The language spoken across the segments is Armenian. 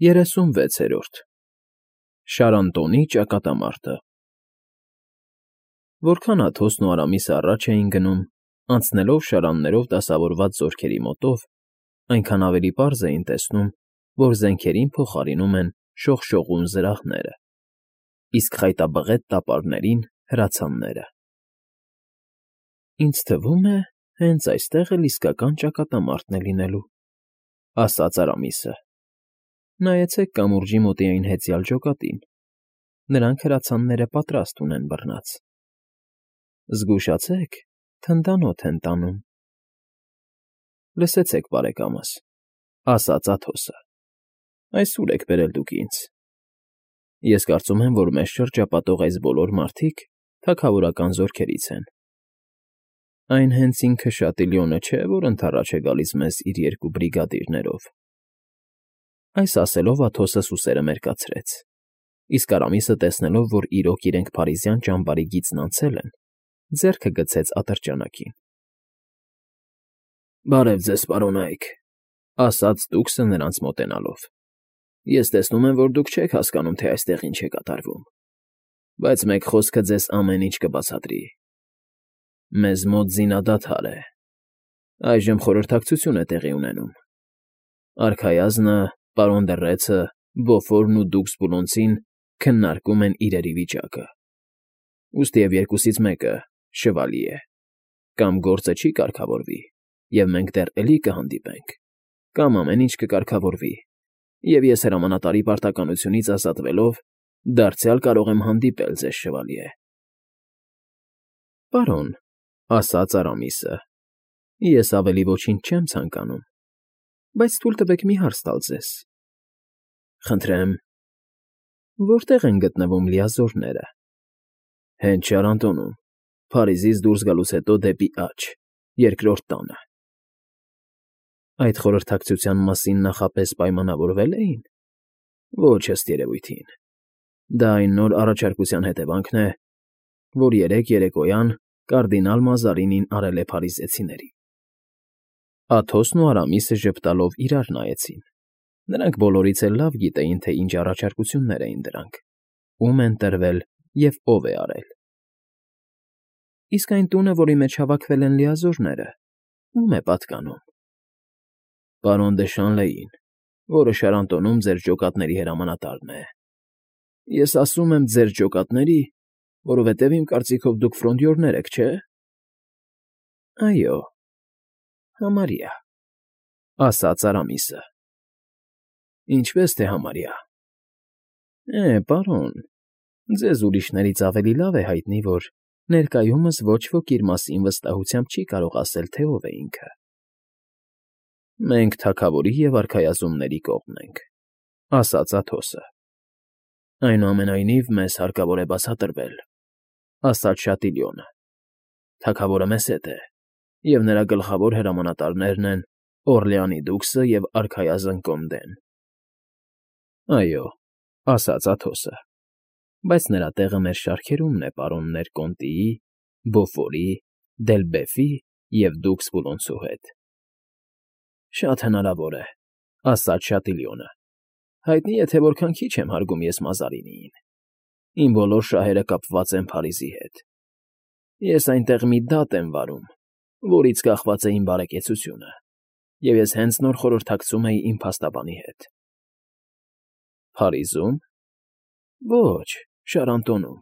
36-րդ Շարանտոնի ճակատամարտը Որքան Աթոսն ու Արամիսը առաջ էին գնում, անցնելով շարաններով դասավորված զորքերի մոտով, այնքան ավելի պարզ էին տեսնում, որ զենքերին փոխարինում են շողշողուն զրահները, իսկ խայտաբղետ տապարներին՝ հրացանները։ «Ինձ թվում է, հենց այստեղ էլ իսկական ճակատամարտն է լինելու», ֊ ասաց Արամիսը։ «Նայեցեք կամուրջի մոտի այն հեծյալ ջոկատին. նրանք հրացանները պատրաստ ունեն բռնած։ Զգուշացեք, թնդանոթ են տանում»։ «Լսեցեք, բարեկամս,֊ ասաց Աթոսը,֊ այս ուր եք բերել դուք ինձ։ Ես կարծում եմ, որ մեզ շրջապատող այս բոլոր մարդիկ թագավորական զորքերից են։ Այն հենց ինքը Շատիլյոնը չէ, որ ընդառաջ է գալիս մեզ իր 2 բրիգադիրներով»։ Այս ասելով Աթոսը սուսերը մերկացրեց, իսկ Արամիսը, տեսնելով, որ իրոք իրենք փարիզյան ճամբարի գիծն անցել են, ձեռքը գցեց ատրճանակին։ «Բարև ձեզ, պարոնայք,֊ ասաց տուկսը նրանց մոտենալով։֊ Ես տեսնում եմ, որ դուք չեք հասկանում, թե այստեղ ինչ է կատարվում, բայց մեկ խոսքը ձեզ ամեն ինչ կբացատրի։ Մեզ մոտ զինադադար է։ Այժմ խորհրդակցություն է տեղի ունենում։ Արքայազնը, պարոն դռեցը, Բոֆորն ու դուքս Բուլոնցին քննարկում են իրերի վիճակը։ Ուստի և երկուսից մեկը շվալի է, կամ գործը չի կարգավորվի, և մենք դեռ էլի կհանդիպենք, կամ ամեն ինչ կկարգավորվի, և ես հրամանատարի պարտականությունից ազատվելով դարձյալ կարող եմ հանդիպել ձեզ, շվալիե։ «Պարոն,֊ ասաց Արամիսը,֊ ես ավելի ոչինչ չեմ ցանկանում, բայց թույլ տվեք մի հարց տալ ձեզ»։ «Խնդրեմ»։ «Որտե՞ղ են գտնվում լիազորները»։ «Հենց Շարանտոնում, Փարիզից դուրս գալուց հետո դեպի աջ, երկրորդ տանը»։ «Այդ խորհրդակցության մասին նախապես պայմանավորվե՞լ էին»։ «Ոչ, ըստ երևույթին։ Դա այն նոր առաջարկության հետևանքն է, որ երեկ երեկոյան կարդինալ Մազարինին արել է փարիզեցիներին»։ Աթոսն ու Արամիսը ժպտալով իրար նայեցին. նրանք բոլորից էլ լավ գիտեին, թե ինչ առաջարկություններ էին դրանք, ում են տրվել և ով է արել։ «Իսկ այն տունը, որի մեջ հավաքվել են լիազորները, ո՞ւմ է պատկանում»։ «Պարոն դը Շանլեին, որը Շարանտոնում ձեր ջոկատների հրամանատարն է։ Ես ասում եմ ձեր ջոկատների, որովհետև իմ կարծիքով դուք ֆրոնդյորներ եք, չէ՞։ «Այո, համարյա», ասաց Արամիսը։ «Ինչպես թե համարյա»։ Պարոն, ձեզ ուրիշներից ավելի լավ է հայտնի, որ ներկայումս ոչ ոք իր մասին վստահությամբ չի կարող ասել, թե ով է ինքը։ «Մենք թագավորի և արքայազնների կողմն ենք», ասաց Աթոսը։ «Այնուամենայնիվ, մեզ հարկավոր է բացատրվել», ասաց Շատիլյոնը։ «Թագավորը մեզ հետ է, և նրա գլխավոր հրամանատարներն են Օռլեանի դուքսը և արքայազն Կոնդեն»։ «Այո», ասաց Աթոսը, բայց նրա տեղը մեր շարքերումն է պարոններ Կոնտիի, Բոֆորի, Դելբեֆի և դուքս Բուլոնցու հետ»։ «Շատ հնարավոր է», ասաց Շատիլյոնը։ «Հայտնի է, թե որքան քիչ եմ հարգում ես Մազարինիին։ Իմ բոլոր շահերը կապված են Փարիզի հետ։ Ես այնտեղ մի դատ եմ վարում, որից կախված է իմ բարեկեցությունը, և ես հենց նոր խորհրդակցում էի իմ փաստաբանի հետ»։ «Փարիզո՞ւմ»։ «Ոչ, Շարանտոնում։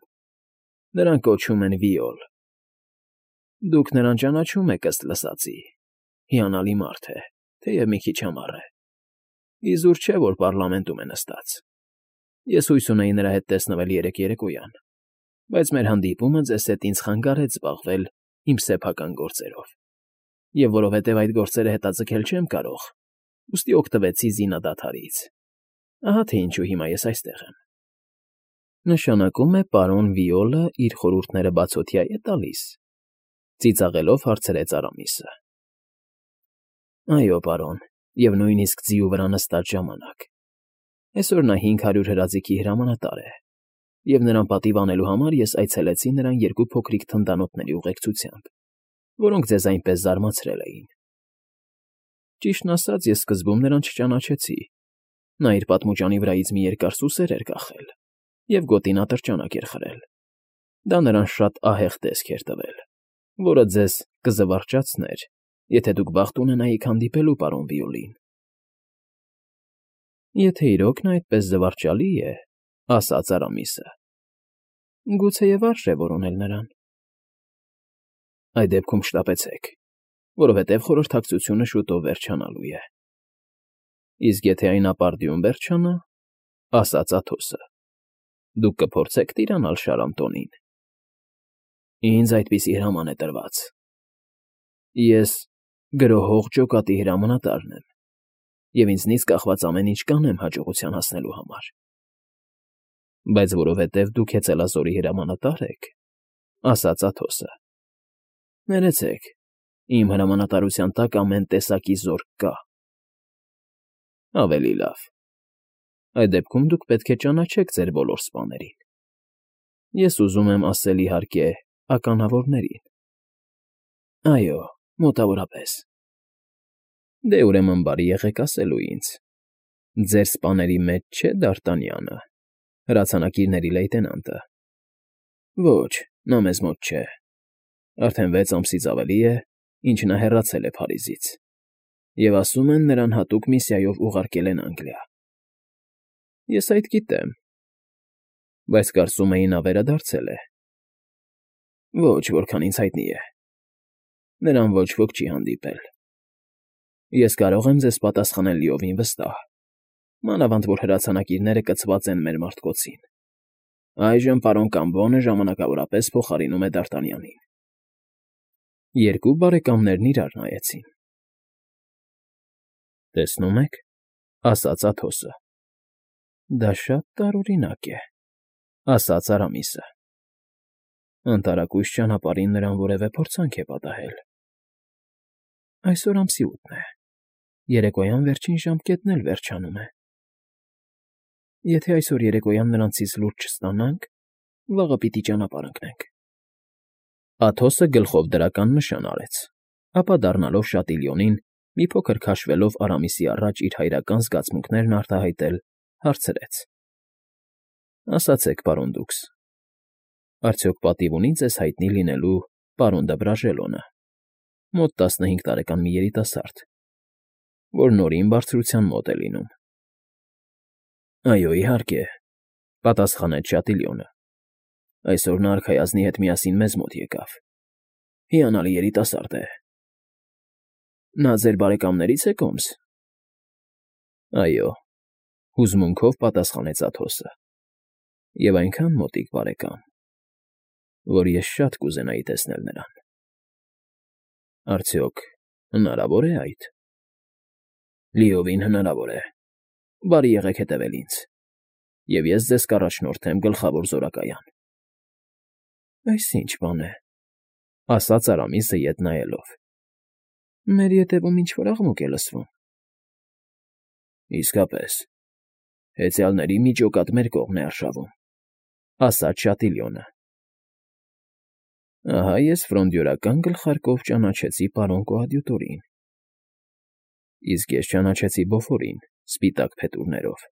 Նրան կոչում են Վիոլ։ Դուք նրան ճանաչում եք, ըստ լսածի։ Հիանալի մարդ է, թեև մի քիչ ամառ է։ Իզուր չէ, որ պառլամենտում է նստած։ Ես հույս ունեի նրա հետ տեսնվել երեկ երեկոյան, բայց մեր հանդիպումը ձեզ հետ ինձ խանգարեց զբաղվել իմ սեփական գործերով, և որովհետև այդ գործերը հետաձգել չեմ կարող, ուստի օգտվեցի զինադադարից։ Ահա թե ինչու հիմա ես այստեղ եմ»։ «Նշանակում է պարոն Վիոլը իր խորհուրդները բացօթյա է տալիս», ծիծաղելով հարցրեց Արամիսը։ «Այո, պարոն, և նույնիսկ ձիու վրա նստած ժամանակ։ Այսօր նա 500 հրաձիգի հրամանատար է, և նրան պատիվ անելու համար ես այցելեցի նրան 2 փոքրիկ թնդանոթների ուղեկցությամբ, որոնք ձեզ այնպես զարմացրել էին։ Ճիշտն ասած, ես սկզբում նրան չճանաչեցի, Նա իր պատմուճանի վրայից մի երկար սուսեր էր կախել և գոտին ատրճանակ էր խրել։ Դա նրան շատ ահեղ տեսք էր տվել, որը ձեզ կզվարճացներ, եթե դուք բախտ ունենայիք հանդիպելու պարոն Վիոլին։ Եթե իրոք նա այդպես զվարճալի է, ասաց Արամիսը, գուցեև արժե որոնել նրան։ Այդ դեպքում շտապեցեք, որովհետև խորհրդակցությունը շուտով վերջանալու է։ Իսկ եթե այն ապարդյուն վերջանա, ասաց Աթոսը, դուք կփորձեք տիրանալ Շարանտոնին։ Ինձ այդպիսի հրաման է տրված։ Ես գրոհող ջոկատի հրամանատարն եմ, և ինձնից կախված ամեն ինչ կանեմ հաջողության հասնելու համար։ Բայց որովհետև դուք հեծելազորի հրամանատար եք, ասաց Աթոսը, ներեցեք, իմ հրամանատարության տակ ամեն տեսակի զորք կա։ Ավելի լավ։ Այդ դեպքում դուք պետք է ճանաչեք ձեր բոլոր սպաներին։ Ես ուզում եմ ասել, իհարկե, ականավորներին։ Այո, մոտավորապես։ Դե ուրեմն բարի եղեք ասելու ինձ. ձեր սպաների մեջ չէ Դ'Արտանյանը, հրացանակիրների լեյտենանտը։ Ոչ, նա մեզ մոտ չէ։ Արդեն 6 ամսից ավելի է, ինչ նա հեռացել է Փարիզից, և ասում են, նրան հատուկ միսիայով ուղարկել են Անգլիա։ Ես այդ գիտեմ, բայց կարծում էի նա վերադարձել է։ Ոչ, որքան ինձ հայտնի է։ Նրան ոչ ոք չի հանդիպել։ Ես կարող եմ ձեզ պատասխանել լիովին վստահ, մանավանդ որ հրացանակիրները կցված են մեր մարտկոցին։ Այժմ պարոն Կամբոնը ժամանակավորապես փոխարինում է Դ'Արտանյանին։ Երկու բարեկամներն իրար նայեցին։ Տեսնում եք, ասաց Աթոսը։ Դա շատ տարօրինակ է, ասաց Արամիսը։ Անտարակույս ճանապարհին նրան որևէ փորձանք է պատահել։ Այսօր ամսի 8-ն է, երեկոյան վերջին ժամկետն էլ վերջանում է։ Եթե այսօր երեկոյան նրանցից լուրջ չստանանք, վաղը պիտի ճանապարհ ընկնենք։ Աթոսը գլխով դրական նշան արեց, ապա դառնալով Շատիլյոնին, մի փոքր քաշվելով Արամիսի առաջ իր հայրական զգացմունքներն արտահայտել, հարցրեց. Ասացեք, պարոն Դուքս, արդյոք պատիվ ունի ձեզ հայտնի լինելու պարոն դը Բրաժելոնը, մոտ 15 տարեկան մի երիտասարդ, որ նորին բարձրության մոտ է լինում։ Այո, իհարկե, պատասխանեց Շատիլյոնը։ Այսօր նա արքայազնի հետ միասին մեզ մոտ եկավ։ Հիանալի երիտասարդ է։ Նա ձեր բարեկամներից է, Կոմս։ Այո, հուզմունքով պատասխանեց Աթոսը։ Եվ այնքան մոտիկ բարեկամ, որ ես շատ կուզենայի տեսնել նրան։ Արդյոք հնարավոր է այդ։ Լիովին հնարավոր է։ Բարի եղեք հետևել ինձ, և ես ձեզ կառաջնորդեմ գլխավոր զորակայան։ Այս ինչ բան է, ասաց Արամիսը ետ նայելով։ Մեր ետևում ինչ֊որ աղմուկ է լսվում։ Իսկապես, հեծյալների մի ջոկատ մեր կողմն է արշավում, ասաց Շատիլյոնը։ Ահա ես ֆրոնդյորական գլխարկով ճանաչեցի պարոն կոադյուտորին։ Իսկ ես ճանաչեցի Բոֆորին, սպիտակ փետուրներով։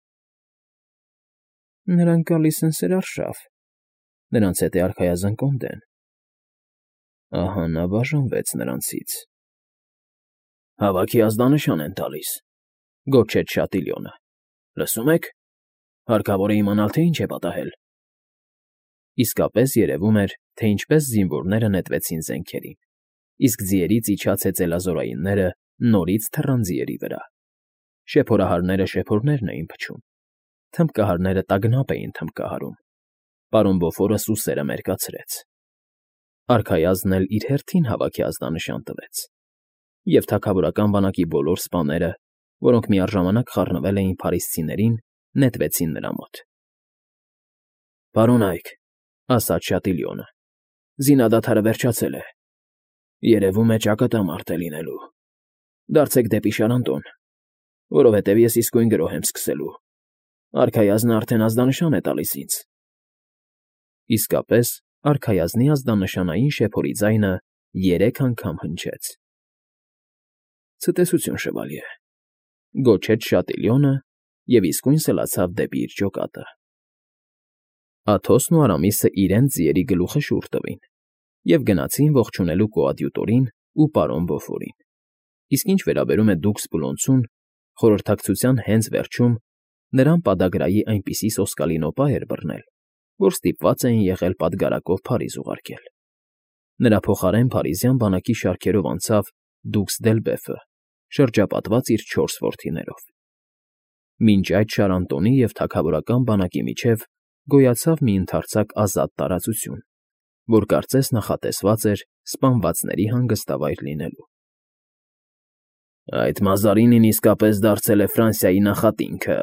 Նրանք գալիս են սերարշավ, նրանց հետ է արքայազն Կոնդեն։ Ահա նա բաժանվեց նրանցից։ Հավաքի ազդանշան են տալիս, գոչեց Շատիլյոնը։ Լսում եք, հարկավոր է իմանալ, թե ինչ է պատահել։ Իսկապես երևում էր, թե ինչպես զինվորները նետվեցին զենքերին, իսկ ձիերից իջած հեծելազորայինները նորից թռան ձիերի վրա։ Շեփորահարները շեփորներն էին փչում, թմբկահարները տագնապ էին թմբկահարում։ Պարոն Բոֆորը սուսերը մերկացրեց։ Արքայազնն էլ իր հերթին հավաքի ազդանշան տվեց, և թագավորական բանակի բոլոր սպաները, որոնք միառժամանակ խառնվել էին փարիսցիներին, նետվեցին նրա մոտ։ Պարոն Այք, ասաց Շատիլյոնը, զինադադարը վերջացել է։ Երևում է ճակատամարտ է լինելու։ Դարձեք դեպի Շարանտոն, որովհետև ես իսկույն գրոհ եմ սկսելու։ Արքայազնը արդեն ազդանշան է տալիս ինձ։ Իսկապես, արքայազնի ազդանշանային շեփորի ձայնը 3 անգամ հնչեց։ Ցտեսություն, շվալյե, գոչեց Շատիլյոնը և իսկույն սլացավ դեպի իր ջոկատը։ Աթոսն ու Արամիսը իրենց ձիերի գլուխը շուռ տվին և գնացին ողջունելու կոադյուտորին ու պարոն Բոֆորին, իսկ ինչ վերաբերում է դուքս Բուլոնցուն, խորհրդակցության հենց վերջում նրան պադագրայի այնպիսի սոսկալի նոպա էր բռնել, որ ստիպված էին եղել պատգարակով Փարիզ ուղարկել։ Նրա փոխարեն փարիզյան բանակի շարքերով անցավ դուքս Դելբեֆը, շրջապատված իր 4 որդիներով։ Մինչ այդ Շարանտոնի և թագավորական բանակի միջև գոյացավ մի ընդարձակ ազատ տարածություն, որ կարծես նախատեսված էր սպանվածների հանգստավայր լինելու։ «Այդ Մազարինին իսկապես դարձել է Ֆրանսիայի նախատինքը»,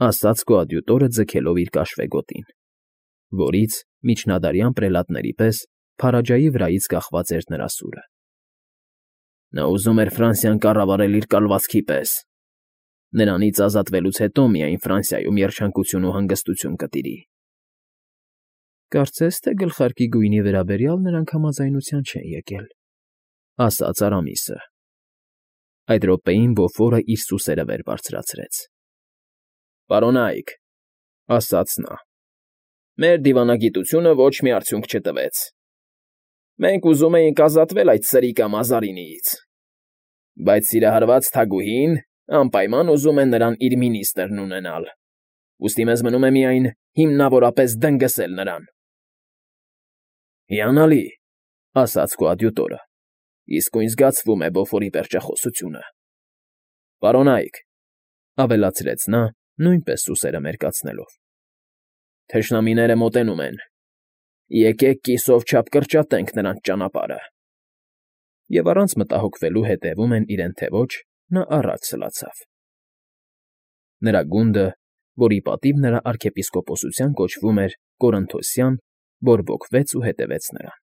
ասաց կոադյուտորը ձգելով իր կաշվեգոտին, որից միջնադարյան պրելատների պես Փարաջայի վրայից կախված էր նրա սուրը։ «Նա ուզում էր Ֆրանսիան կառավարել իր կալվածքի պես։ Նրանից ազատվելուց հետո միայն Ֆրանսիայում երջանկություն ու հանգստություն կտիրի»։ «Կարծես թե գլխարկի գույնի վերաբերյալ նրանք համաձայնության չեն եկել», ասաց Արամիսը։ Այդ րոպեին Բոֆորը իր սուսերը վեր բարձրացրեց։ «Պարոնայք», ասաց նա, «մեր դիվանագիտությունը ոչ մի արդյունք չտվեց։ Մենք ուզում էինք ազատվել այդ սրիկա Մազարինիից, բայց սիրահարված թագուհին անպայման ուզում է նրան իր մինիստրն ունենալ, ուստի մեզ մնում է միայն հիմնավորապես դնգսել նրան»։ «Հիանալի», ասաց կոադյուտորը, «իսկույն զգացվում է Բոֆորի պերճախոսությունը։ Պարոնայք», ավելացրեց նա, նույնպես սուսերը մերկացնելով, «թշնամիները մոտենում են. եկեք կիսով չափ կրճատենք նրանց ճանապարհը»։ Եվ առանց մտահոգվելու հետևում են իրեն թե ոչ, նա առաջ սլացավ։ Նրա գունդը, որի պատիվ նրա արքեպիսկոպոսության կոչվում էր Կորնթոսյան, բորբոքվեց ու հետևեց նրան։